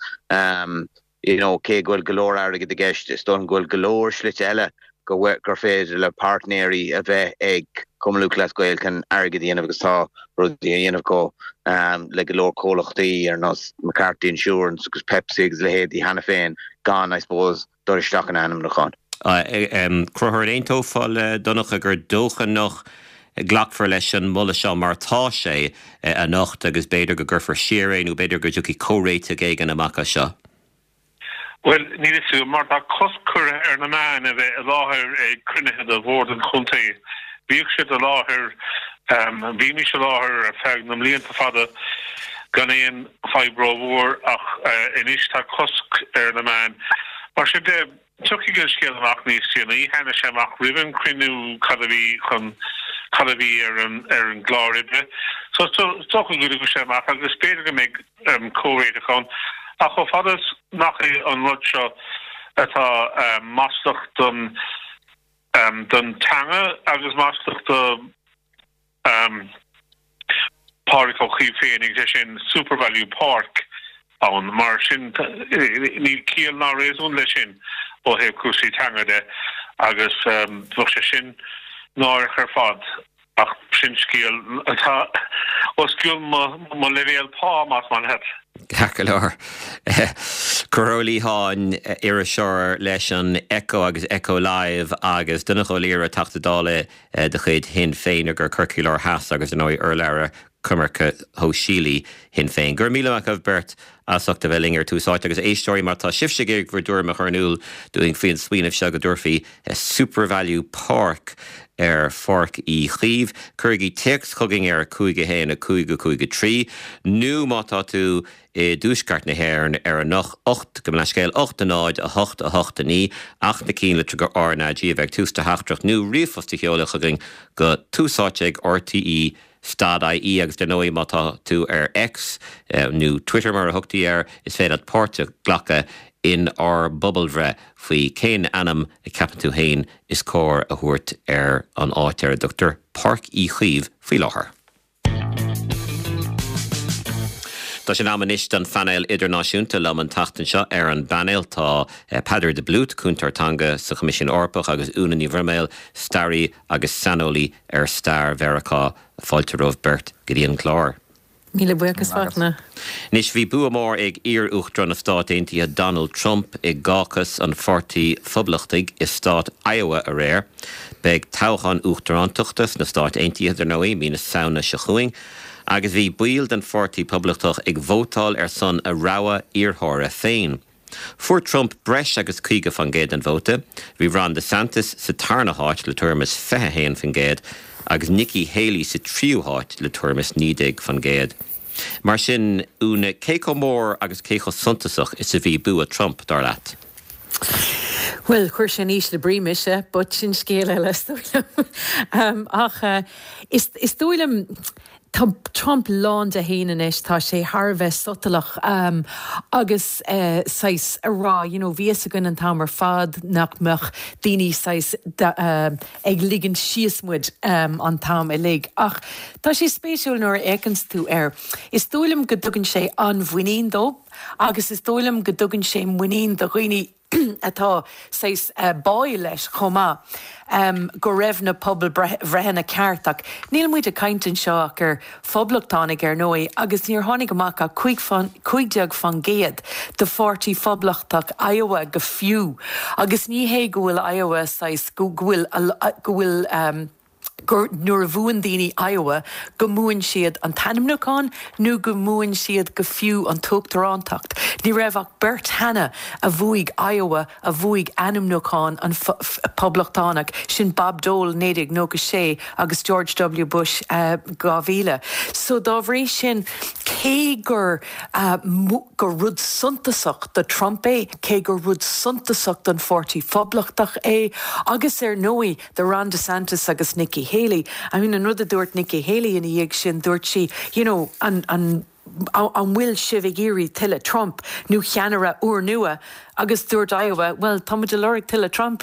you know cé go bhfuil go leor airgid i gceist, is dóigh liom go bhfuil go leor slite eile go gur féidir le páirtnéirí a bheith ag Cumann Lúthchleas Gael chun airgead a dhéanamh agus tá rudaí á dhéanamh acu le go leor comhlachtaí ar nós McCarthy Insurance agus Pepsi agus leithéidí cheana féin gan, I suppose, dul isteach in ainmniúchán. Conchúr, an aontófá le Donncha gur dócha nach nglacfar leis an moladh seo mar atá sé anocht agus b'fhéidir go gcuirfear siar é nó b'fhéidir go dtiocfaidh comhréiteach éigin amach as seo? Bhuel, níl a fhios agam, mar tá cosc curtha ar na meáin a bheith i láthair ag cruinnithe de Bhord an Chontae. Bhíodh siad i láthair, bhímis i láthair ar feadh na mblianta fada gan aon fadhb rómhór ach anois tá cosc ar na meáin. Mar sin de, tiocfaidh an scéal amach níos déanaí. Tháinig sé amach roimh an chruinniú cad a bhí chun, cad a bhí ar an, ar an gclár oibre. So is dócha go dtiocfaidh sé amach agus b'fhéidir go mbeidh comhréiteach ann. Ach chomh fada is nach é an rud seo atá maslach don don teanga agus maslach do Pádraig Ó Cuív féin, sé sin Supervalu Páirc ann, mar sin níl ciall ná réasún leis sin ó thaobh cúrsaí teanga de agus bheadh sé sin náireach ar fad. Ach sin scéal atá os cionn mo leibhéal pá, más maith leat. Ceart go leor. Conchúr Ó Liatháin, iriseoir leis an Echo agus Echo Live agus Donncha Ó Laoghaire, Teachta Dála de chuid Shinn Féin i gCorcaigh Láir Theas agus ar ndóigh urlabhra coimirce shóisialaí Shinn Féin. Go raibh míle maith agaibh beirt as ucht a bheith linn ar Tús Áite agus éisteoirí má tá sibhse ag iarraidh bhur dtuairim a chur in iúl dúinn faoin smaoineamh seo go dtabharfaí Supervalu Park ar Pháirc Uí Chaoimh, cuirigí téacs chugainn ar a cúig a haon a cúig a cúig a trí nó má tá tú i dtuaisceart na hÉireann ar an ocht, gabh mo leithscéal, ocht a náid a hocht a hocht a naoi ach na cinn litreacha R na G a bheith ag tús do theachtaireacht nó ríomhphost a sheoladh chugainn go Tús Áite ag RTÉ dot IE agus dar ndóigh má tá tú ar X, nó Twitter mar a thugtaí air, is féidir leat páirt a ghlacadh in ár bpobalbhreith faoi cén ainm a cheapann tú féin is cóir a thabhairt ar an áit ar a dtugtar Páirc Uí Chaoimh faoi láthair. Tá sé in am anois don phainéal idirnáisiúnta. Liom an tseachtain seo ar an bpainéal tá Peadar de Blút, Cúntóir Teanga sa Choimisiún Eorpach agus Úna Ní Bhroiméil, staraí agus saineolaí ar stair Mheiriceá. Fáilte romhaibh beirt go dtí an clár. Míle buíochas, Fachtna. Anois, bhí bua mór ag iar-Uachtarán na Stát Aontaithe Donald Trump i gcácas an Pháirtí Phoblachtaigh i stát Iowa aréir. Beidh toghchán uachtarántachta sna Stáit Aontaithe, dar ndóigh, mí na Samhna seo chugainn, agus bhí baill den Pháirtí Poblachtach ag vótáil ar son a rogha iarrthóra féin. Fuair Trump breis agus caoga faoin gcéad den vóta, bhí Ron DeSantis sa tarna háit le tuairim is fiche a haon faoin gcéad agus Nikki Haley sa tríú háit le tuairim is naoi déag faoin gcéad. Mar sin, Úna, cé chomh mór agus cé chomh suntasach is a bhí bua Trump, dar leat? Bhuel, chuir sé in ísle brí mise, but sin scéal eile, is dóigh liom. Ach is dóigh liom, Tá Trump lán de fhéin anois, tá sé thar a bheith sotalach agus saghas a rá, you know, bhí fhios againn an t-am ar fad nach mbeadh daoine saghas ag ligint síos muid an t-am uilig. Ach tá sé spéisiúil nuair a fhéachanns tú air. Is dóigh liom go dtugann sé an-mhuinín dó agus is dóigh liom go dtugann sé muinín do dhaoine atá saghas báúil leis chomh maith, go raibh na pobalbhreitheanna ceart. Ach níl muid ag caint anseo ach ar phoblachtánaigh ar ndóigh agus níor tháinig amach ach cúig déag faoin gcéad de pháirtí phoblachtach Iowa go fiú. Agus ní hé go bhfuil Iowa saghas, go bhfuil, go bhfuil, gur nuair a bhuann daoine Iowa go mbuann siad an t-ainmniúchán nó go mbuann siad go fiú an t-uachtarántacht. Ní raibh ach beirt cheana a bhuaigh Iowa a bhuaigh ainmniúchán an Poblachtánach, sin Bob Dole naoi déag nócha sé agus George W Bush dhá mhíle. So dá bhrí sin cé gur gur rud suntasach do Trump é, cé gur rud suntasach don Pháirtí Phoblachtach é agus ar ndóigh do Ron DeSantis agus Nikki Haley. I mean an rud a dúirt Nikki Haley ina dhiaidh sin dúirt sí you know, an, an an bhfuil sibh ag iarraidh tuilleadh Trump nó ceannaire úrnua agus dúirt Iowa, well tá muid ag lorg tuilleadh Trump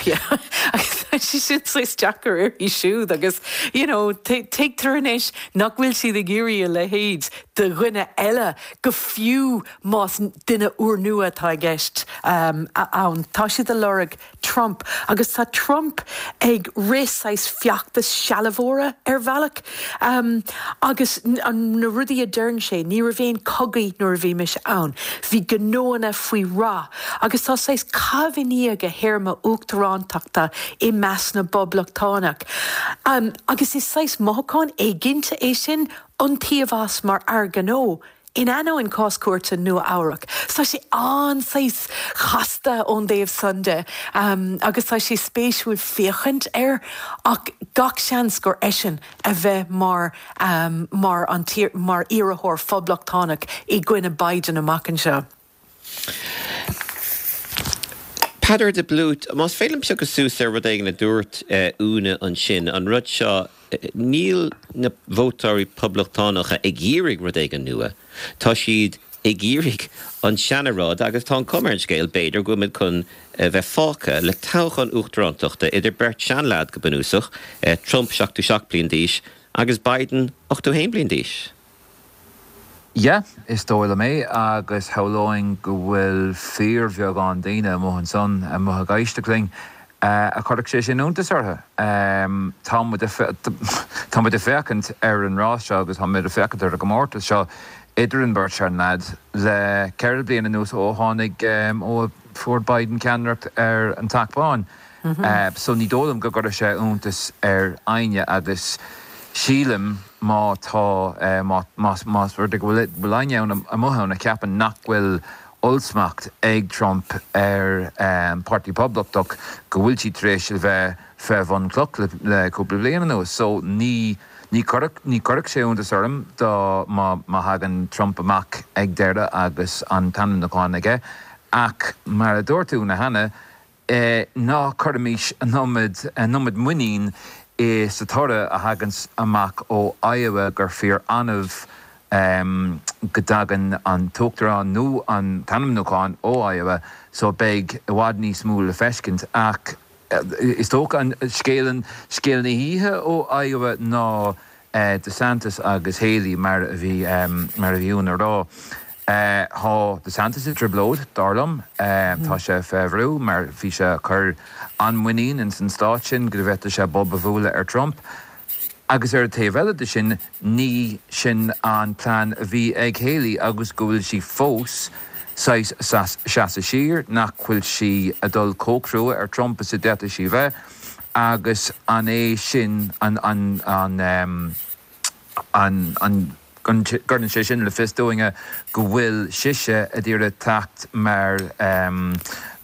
agus tá sé sin saghas deacair uirthi siúd agus you know, tuigtear anois nach bhfuil siad ag iarraidh a leithéid de dhuine eile go fiú más duine úrnua atá i gceist um, ann. Tá siad ag lorg Trump agus tá Trump ag rith saghas feachtas sealbhóra ar bhealach um, agus an na rudaí a deireann sé ní raibh aon chogaí nuair a bhí mise ann. Bhí gnóanna faoi rath agus tá saghas caitheamh i ndiaidh a théarma uachtarántachta i measc na bPoblachtánach. Um, agus is saghas mothúchán éiginnte é sin iontaoibh as mar fhear gnó. In ainneoin cás cúirte Nua-Eabhrac. Tá sé an-saghas chasta ón dtaobh san de um, agus tá sé spéisiúil féachaint air ach gach seans gur eisean a bheidh mar um, mar an tír, mar iarrthóir phoblachtánach i gcoinne Biden amach anseo. Peadar de Blút, más féidir liom piocadh suas ar rud éigin a dúirt eh, Úna ansin, an rud seo, eh, níl na vótóirí poblachtánacha ag iarraidh rud éigin nua. Tá siad ag iarraidh an seanrud agus tá an chuma ar an scéal b'fhéidir go bhfuil muid chun eh, bheith fágtha le toghchán uachtarántachta idir beirt seanleaid go bunúsach, Trump seachtó seacht bliain d'aois agus Biden ochtó haon bliain d'aois. Yeah, is dóigh liom é agus shamhlóinn go bhfuil fíorbheagán daoine amuigh ansan amuigh ag éisteacht linn a chuirfeadh sé sin iontas orthu. Tá muid tá muid ag féachaint ar an rás seo agus tá muid ag féachaint ar an gcomórtas seo idir an bheirt seanleaid le ceithre bliana anuas ó tháinig ó fuair Biden ceannaireacht ar an Teach Bán. So ní dóigh liom go gcuirfeadh sé iontas ar éinne agus sílim má tá más más rud é go bhfuil éinne ann amuigh ann a cheapann nach bhfuil ollsmacht ag Trump ar an Páirtí Poblachtach go bhfuil siad tar éis a bheith fé bhun cloch le le cúpla bliain anuas. So ní ní chuirfeadh ní chuirfeadh sé iontas orm dá má má thagann Trump amach ag deireadh agus an t-ainmniúchán aige. Ach mar a dúirt Úna cheana, Ná cuirimis an iomad an iomad muinín i sa toradh a thaganns amach ó Iowa gur fíor annamh go dtagann an t-uachtarán nó an t-ainmniúchán ó Iowa so beidh i bhfad níos mó le feiscint ach is dócha an scéal an scéal na hoíche ó Iowa ná DeSantis agus Haley mar a bhí mar a bhí Úna a rá. Tá DeSantis i dtrioblóid, dar liom. Tá sé fé bhrú mar bhí sé ag cur an-mhuinín ins an stát sin go bhféadfadh sé bob a bhualadh ar Trump. Agus ar an taobh eile de sin, ní sin an plean a bhí ag Haley agus go bhfuil sí fós saghas seasamh siar, nach bhfuil sí ag dul chomh crua ar Trump is a d'fhéadfadh sí bheith agus an é sin an an an an an Cuireann sé sin le fios dúinne go bhfuil sise ag iarraidh teacht mar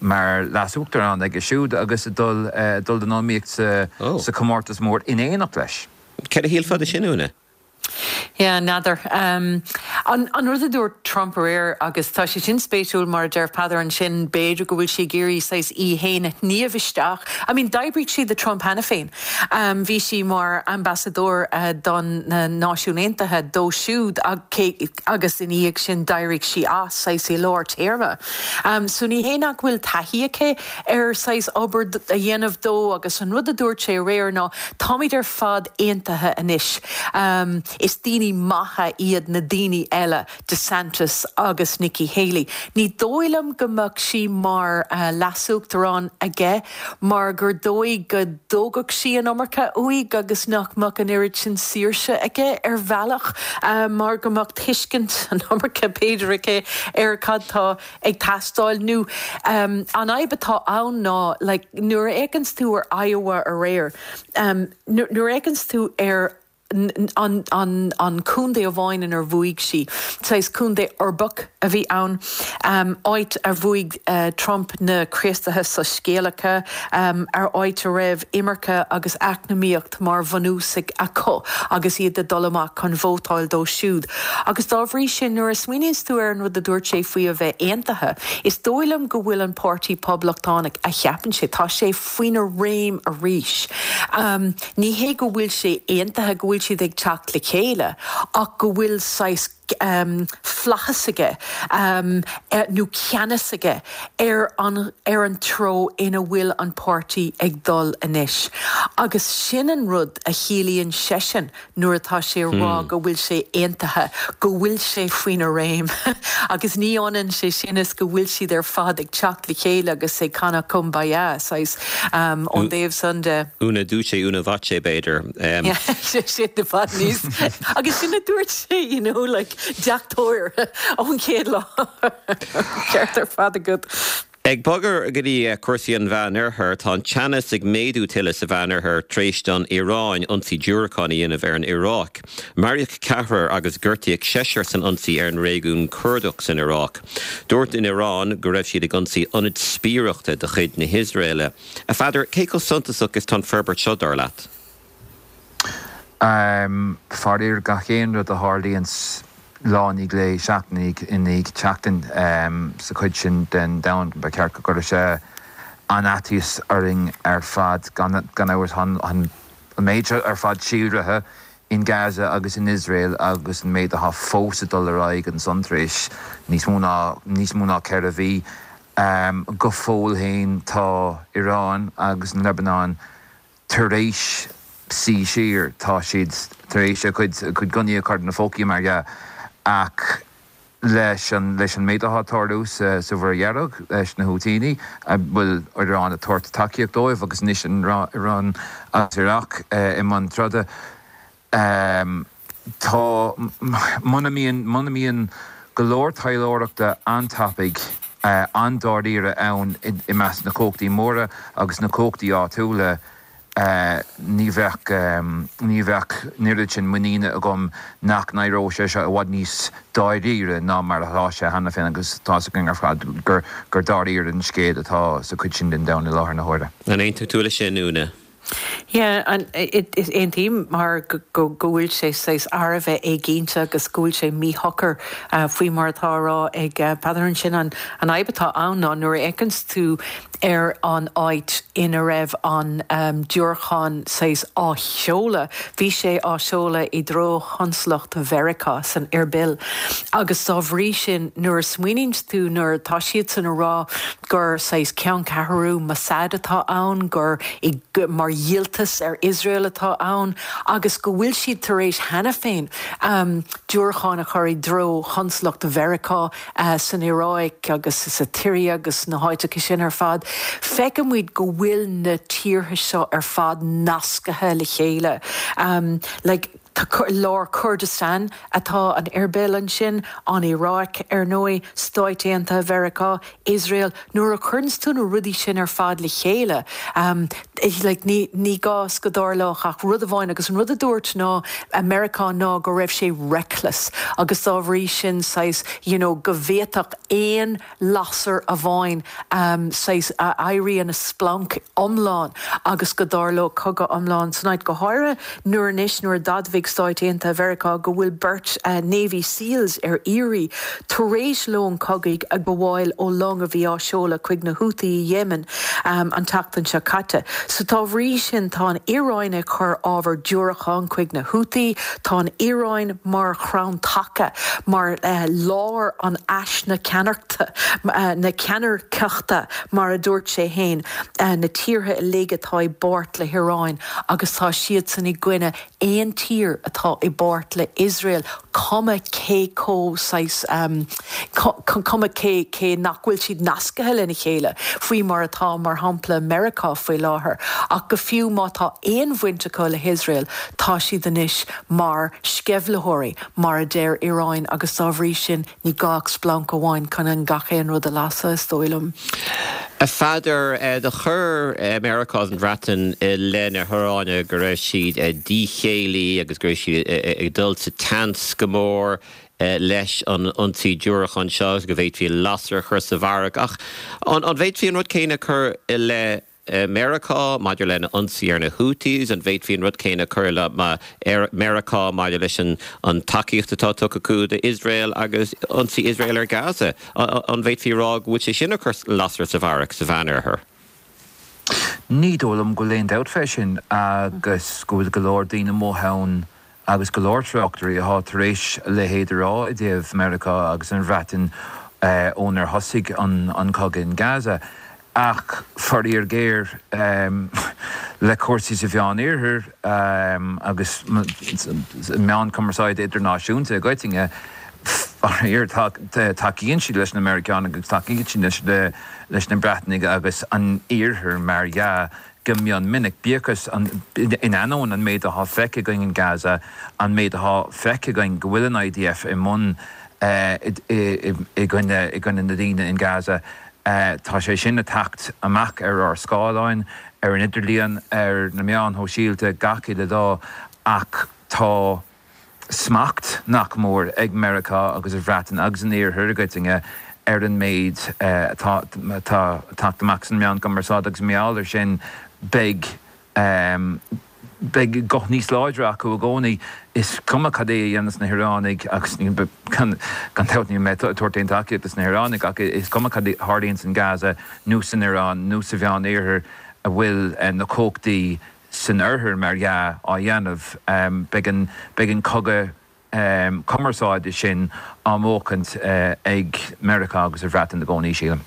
mar leas-uachtarán aige siúd agus ag dul dul don iomaíocht sa sa chomórtas mór in éineacht leis. Céard a shílfeá de sin, Úna? Yeah, n'fheadar. An an rud a dúirt Trump aréir, agus tá sé sin spéisiúil mar a deir Peadar ansin, b'fhéidir go bhfuil sí ag iarraidh saghas í fhéin a shníomh isteach. I mean, d'oibrigh sí do Trump cheana féin. Bhí sí mar ambasadóir don na Náisiúin Aontaithe dó siúd agus ina dhiaidh sin d'éirigh sí as saghas i lár téarma. So ní hé nach bhfuil taithí aici ar saghas obair a dhéanamh dó agus an rud a dúirt sé aréir ná táimid ar fad aontaithe anois. Is daoine maithe iad na daoine eile, DeSantis agus Nikki Haley. Ní dóigh liom go mbeadh sí mar leasuachtarán aige mar gur dóigh go dtógfadh sí an iomarca uaidh agus nach mbeadh an oiread sin saoirse aige ar bhealach mar go mbeadh tuiscint an iomarca b'fhéidir aici ar cad tá ag teastáil nó an fhadhb atá ann ná like nuair a fhéachanns tú ar Iowa aréir nuair a fhéachanns tú ar an, an, an contae amháin inar bhuaigh sí. Saghas contae uirbeach a bhí ann, um, áit a bhuaigh uh, Trump na Críostaithe soiscéalacha, um, ar áit a raibh imirce agus eacnamaíocht mar bhunús acu agus iad ag dul amach chun vótáil dó siúd. Agus dá bhrí sin nuair a smaoiníonns tú ar an rud a dúirt sé faoi a bheith aontaithe, is dóigh liom go bhfuil an Páirtí Poblachtánach a cheapann sé, tá sé faoina réim arís. Um, ní hé go bhfuil sé aontaithe go bhfuil siad ag teacht le chéile ach go bhfuil saghas um, flaitheas aige um, eh, nó ceannas aige ar an, ar an treo ina bhfuil an páirtí ag dul anois. Agus sin an rud a chiallaíonn seisean nuair atá sé ag rá hmm. go bhfuil sé aontaithe, go bhfuil sé faoina réim. agus ní ionann sé sin is go bhfuil siad ar fad ag teacht le chéile agus ag canadh Kumbaya saghas um, ón dtaobh san de. Una duce una voce b'fhéidir. Um. sin na fad níos agus sin a dúirt sé you know, like, deachtóir ón chéad lá ceart ar fad agat. Ag bogadh go dtí cúrsaí an Mheánoirthir tá an teannas ag méadú tuilleadh sa Mheánoirthear tar éis don Iaráin ionsaí diúracán a dhéanamh ar an Iaráic. Maraíodh ceathrar agus gortaíodh seisear san ionsaí ar an réigiún Curdach san Iaráic. Dúirt an Iaráin go raibh siad ag ionsaí ionad spiaireachta de chuid na hIosraeile. A Pheadair cé chomh suntasach is atá an forbairt seo dar leat? Um, Faraor gach aon rud a tharlaíonn lá i ndiaidh lae seachtain i ndiaidh seachtain um, sa chuid sin den domhan ba cheart go gcuirfeadh sé an-fhaitíos orainn ar fad gan gan amhras an an méid ar fad síolraithe in Gaza agus in Israel agus an méid atá fós ag dul ar aghaidh ansan tar éis níos mó ná níos mó ná ceithre mhí um, go fóill féin tá Iran agus an Lebanon tar éis suí siar tá siad tar éis a cuid cuid gunnaí a chur ina bpócaí mar dhea ach leis an leis an méid atá ag tarlú sa sa Mhuir Dhearg leis na Houthíní a bhfuil Iran ag tabhairt tacaíocht dóibh agus anois an Iran agus Iraq eh, i mbun troda um, tá muna mbíonn muna mbíonn go leor taidhleoireachta an-tapaidh uh, an-dáiríre ann i, i measc na cumhachtaí móra agus na cumhachtaí áitiúla Uh, ní bheadh um, ní bheadh an oiread sin muiníne agam nach n-éireodh sé seo i bhfad níos dáiríre ná mar atá sé cheana féin agus tá a fhios againn ar fad gur gur dáiríre an scéal atá sa chuid sin den domhan i láthair na huaire. An aontaíonn tú leis sin Úna? Yeah, an aontaím mar go go bhfuil sé saghas thar a bheith éiginnte agus go bhfuil sé míshocair uh, faoi mar atá á rá ag uh, Peadar ansin an an fhadhb atá ann ná nuair a fhéachanns tú ar an áit ina raibh an um, diúracán saghas á sheoladh, bhí sé á seoladh i dtreo chonsalacht Mheiriceá san Erbil. Agus dá bhrí sin nuair a smaoiníonn tú nuair atá siadsan ag rá gur saghas ceanncheathrú Mossad atá ann, gur i, mar dhíoltas ar Israel atá ann, agus go bhfuil siad tar éis cheana féin um, diúracáin a chur i dtreo chonsalacht Mheiriceá uh, san Iaráic agus sa tSiria agus na háiteacha sin ar fad. Feicimid go bhfuil na tíortha seo ar fad nasctha le chéile. Um, like, lár Kurdistan atá an Erbil ansin, an Iaráic ar ndóigh, Stáit Aontaithe Mheiriceá, Israel, nuair a chuireann tú na rudaí sin ar fad le chéile. Um, like, ní, ní gá go dtarlódh ach rud amháin agus an rud a dúirt ná America ná go raibh sé reckless agus dá bhrí sin saghas, you know, go bhféadfadh aon lasair amháin um, saghas a éirí ina splanc iomlán agus go dtarlódh cogadh iomlán san áit go háirithe nuair anois nuair a d'admhaigh Stáit Aontaithe Mheiriceá go bhfuil beirt uh, Navy Seals ar iarraidh tar éis lón cogaidh a ghabháil ó long a bhí á seoladh chuig na Houthi i Yemen um, an tseachtain seo caite. So dá bhrí sin tá an Iaráin ag cur ábhar diúracán chuig na Houthi, tá an Iaráin mar chrann taca mar uh, lár an ais na ceannaireachta uh, na ceannairceachta mar a dúirt sé féin uh, na tíortha uilig atá i bpáirt le hIaráin agus tá siadsan i gcoinne aon tír tír atá i bpáirt le Iosrael cuma cé chomh saghas um, cuma cé cé nach bhfuil siad nasctha lena chéile faoi mar atá mar shampla Meiriceá faoi láthair ach go fiú má tá aon bhaint acu le hIosrael tá siad anois mar sceimhlitheoirí mar a deir Iran agus dá bhrí sin ní gá ach splanc amháin chun an gach aon rud a lasadh is dóigh liom. A Pheadair eh, do chuir eh, Meiriceá an Bhreatain i leith na hIaráine go raibh siad eh, díchéillí agus go raibh siad ag dul sa tseans go mór leis an ionsaí diúracán seo go bhféadfaí lasair a chur sa bharrach ach an bhféadfaí an rud céanna a chur i leith Meiriceá maidir lena ionsaí ar na Houthis an bhféadfaí an rud céanna a chur le Meiriceá maidir leis an an tacaíocht atá tugtha acu d'Iosrael agus ionsaí Iosrael ar Gaza an bhféadfaí rá go bhfuil sé sin ag cur lasair sa bharrach sa Mheánoirthear. Ní dóigh liom go bhfuil aon dabht fé sin agus go bhfuil go leor daoine amuigh ann agus go leor tráchtairí atá tar éis a leithéid a rá i dtaobh Meiriceá agus an Bhreatain ónar thosaigh an an cogadh in Gaza. Ach faraor géar le cúrsaí sa Mheánoirthear agus meáin cumarsáide idirnáisiúnta i gcoitinne, faraor tacaíonn siad leis na Meiriceánaigh agus tacaíonn siad leis na Breatanaigh agus an Iarthar mar dhea go mion minic. Bíodh is in ainneoin an méid atá feicthe againn in Gaza, an méid atá feicthe againn go bhfuil an IDF i mbun i gcoinne na daoine in Gaza, Tá sé sin ag teacht amach ar ár scáileáin, ar an idirlíon, ar na meáin shóisialta gach uile lá ach tá smacht nach mór ag Meiriceá agus an Bhreatain agus an Iarthar i gcoitinne ar an méid atá ag teacht amach sna meáin cumarsáide agus mar gheall air sin beidh Beidh guth níos láidre acu i gcónaí. Is cuma cad é a dhéanas na hIoránaigh agus gan dabht níl mé ag tabhairt aon tacaíocht dos na hIoránaigh ach is cuma cad a tharlaíonns in Gaza nó san Iorán nó sa Mheán Oirthear a bhfuil na cumhachtaí san Oirthear mar dhea á dhéanamh beidh an beidh an cogadh cumarsáide sin á mbuachaint ag Meiriceá agus an Bhreatain i gcónaí sílim.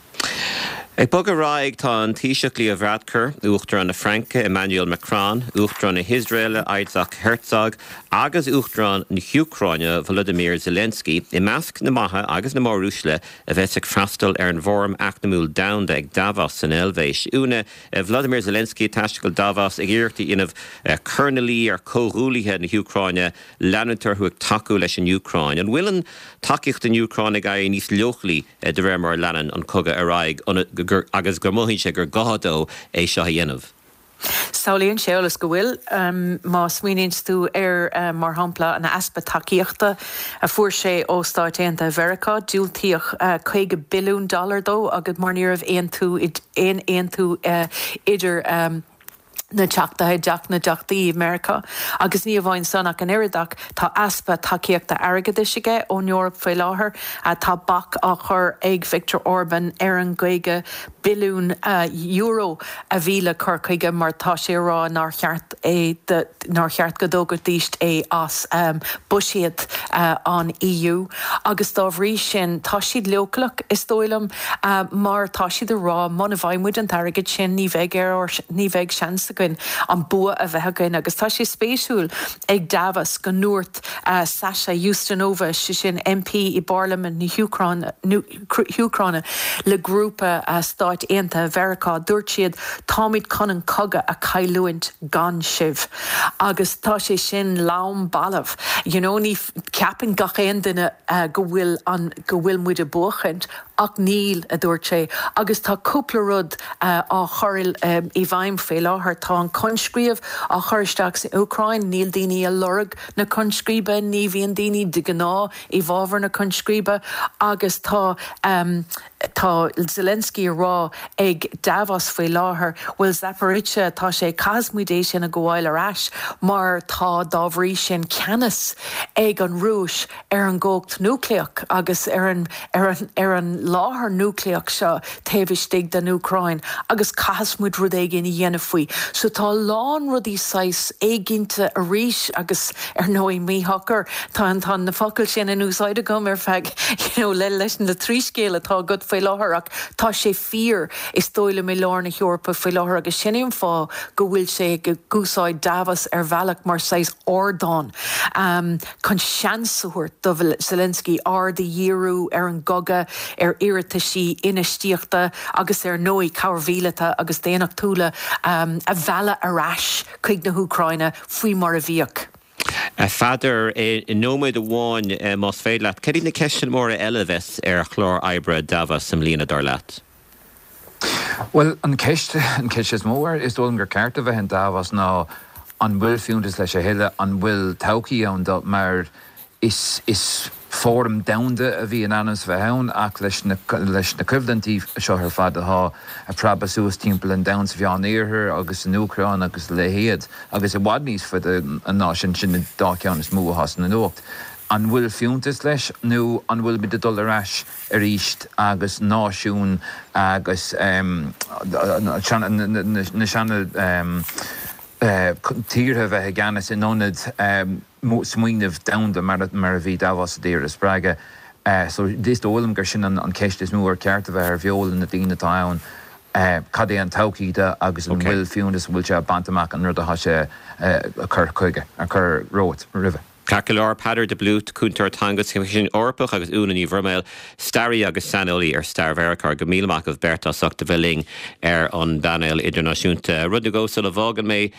Ag bogadh ar aghaidh, tá an Taoiseach Leo Varadkar, Uachtarán na Fraince Emmanuel Macron, Uachtarán na hIosraeile Isaac Herzog agus Uachtarán na hÚcráine Volodymyr Zelensky i measc na maithe agus na móruaisle a bheas ag freastal ar an bhFóram Eacnamúil Domhanda ag Davos san Eilvéis. Úna, Volodymyr Zelensky ag taisteal go Davos ag iarracht a dhéanamh cur ina luí ar chomhghuaillithe na hÚcráine leanúint orthu ag tacú leis an Úcráin. An bhfuil an tacaíocht don Úcráin ag éirí níos leochailí de réir mar a leanann an cogadh ar aghaidh agus go mothaíonn sé gur gá dó é seo a dhéanamh? Samhlaíonn sé eolas go bhfuil, má smaoiníonn tú ar, mar shampla, an easpa tacaíochta a fuair sé ó Stáit Aontaithe Mheiriceá, diúltaíodh caoga billiún dollar dó agus mar ní raibh aontú aon aontú idir na teachtaithe i dTeach na dTeachtaí i Meiriceá. Agus ní amháin san ach an oiread ach tá easpa tacaíochta airgeadais aige ón Eoraip faoi láthair. Tá bac á chur ag Viktor Orban ar an gcaoga billiún euro a bhí le cur chuige mar tá sé ag rá nár cheart é nár cheart go dtógfaidís é as buiséad an EU. Agus dá bhrí sin tá siad leochaileach is dóigh liom mar tá siad ag rá muna bhfaighidh muid an t-airgead sin ní bheidh ar ní bheidh seans againn an bua a bheith againn agus tá sé spéisiúil ag Davos go ndúirt Sasha Ustinova, sé sin MP i bParlaimint na hÚcráine le grúpa Stáit Aontaithe Mheiriceá, dúirt siad táimid chun an cogadh a chailliúint gan sibh agus tá sé sin lom balbh. You know, ní ceapann gach aon duine go bhfuil an go bhfuil muid ag buachaint ach níl, a dúirt sé, agus tá cúpla rud á chur i bhfeidhm faoi láthair. Tá an coinscríobh á chur isteach san Úcráin, níl daoine ag lorg na coinscríbe, ní bhíonn daoine de ghnáth i bhfabhar na coinscríbe agus tá tá Zelensky ag rá ag Davos faoi láthair, bhuel Zaporizhzhia, tá sé, caithfidh muid é sin a ghabháil ar ais mar tá dá bhrí sin ceannas ag an Rúis ar an gcumhacht núicléach agus ar an ar an ar an láthair núicléach seo taobh istigh den Úcráin agus caithfidh muid rud éigin a dhéanamh faoi. So tá a lán rudaí saghas éiginnte arís agus ar ndóigh míshocair. Tá an tá na focail sin in úsáid agam ar feadh you know le leis na trí scéal atá agat faoi faoi láthair ach tá sé fíor is dóigh liom i lár na hEorpa faoi láthair agus sin é an fáth go bhfuil sé ag úsáid Davos ar bhealach mar saghas ardán um, chun seans a thabhairt do Zelensky aird a dhíriú ar an gcogadh ar iarrataisí infheistíochta agus ar ndóigh cabhair mhíleata agus daonnachtúla um, a mhealladh ar ais chuig na hÚcráine faoi mar a bhíodh. A Pheadair i nóiméad amháin más féidir leat, cad iad na ceisteanna móra eile a bheas ar chlár oibre Davos i mbliana dar leat? Well an ceist an ceist is mó is dóigh liom gur ceart a bheith in Davos ná an bhfuil fiúntas leis a thuilleadh an bhfuil todhchaí ann dó mar is is fóram domhanda a bhí in ainm is bheith ann ach leis na leis na coimhlintí seo ar fad atá ag preabadh suas timpeall an domhain sa Mheánoirthear agus san Úcráin agus a leithéid agus i bhfad níos faide ná sin sin na dá cheann is mó atá sna nuacht. An bhfuil fiúntas leis nó an bhfuil muid ag dul ar ais arís agus náisiún agus na seana tíortha a bheith i gceannas in ionad smaoineamh domhanda mar a bhí Davos ag iarraidh a spreagadh. So is dóigh liom gur sin an ceist is mó ar ceart a bheith ar bheola na daoine atá ann, cad é an todhchaí de agus an bhfuil fiúntas, an bhfuil sé ag baint amach an rud atá sé ag cur chuige, ag cur romhat, roimhe. Ceart go leor, Peadar de Blút, Cúntóir Teanga sa Choimisiún Eorpach agus Úna Ní Bhroiméil, staraí agus saineolaí ar stair Mheiriceá. Go míle maith agaibh beirt as ucht a bheith linn ar an bpainéal idirnáisiúnta. Rud nó dhó sula bhfágann mé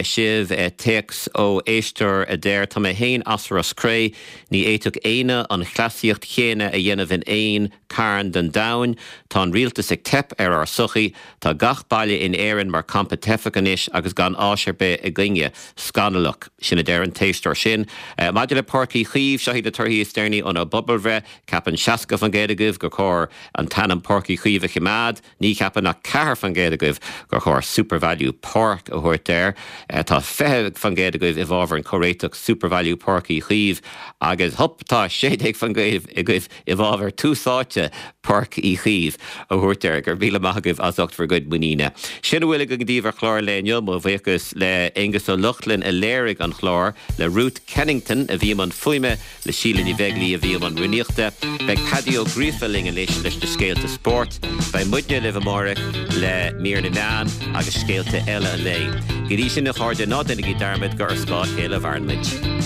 sibh, téacs ó éisteoir a deir, Tá mé féin as Ros Cré, ní fhéadfadh éinne an chleasaíocht chéanna a dhéanamh in aon carn den domhan. Tá an rialtas ag teip ar ár sochaí. Tá gach baile in Éirinn mar campa teifeach anois agus gan áis ar bith againne. Scannalach. Sin a deir an t-éisteoir sin. Maidir le Páirc Uí Chaoimh, seo iad na torthaí is deireanaí óna bpobalbhreith. Ceapann seasca faoin gcéad agaibh gur chóir an t-ainm Páirc Uí Chaoimh a choimeád. Ní cheapann ach ceathair faoin gcéad agaibh gur chóir SuperValu Park a thabhairt air. Tá fiche faoin gcéad agaibh i bhfabhar an comhréiteach SuperValu Páirc Uí Chaoimh agus hup tá sé déag faoin gcéad agaibh i bhfabhar Tús Áite Páirc Uí Chaoimh a thabhairt air. Go raibh míle maith agaibh as ucht bhur gcuid muiníne. Sin a bhfuil againn daoibh ar chlár an lae inniu. Mo bhuíochas le Aonghus Ó Lochlainn a léirigh an chlár, le Ruth Kennington a bhí i mbun fuaime, le Síle Ní Bheaglaoi a bhí i mbun rúnaíochta. Beidh Paddy Ó Gríofa linn anois leis na scéalta spóirt. Beidh muidne libh amárach le mír na meán agus scéalta eile an lae. Go dtí sin a chairde, ná déanaigí dearmad gur ar scáth a chéile a mhaireann muid.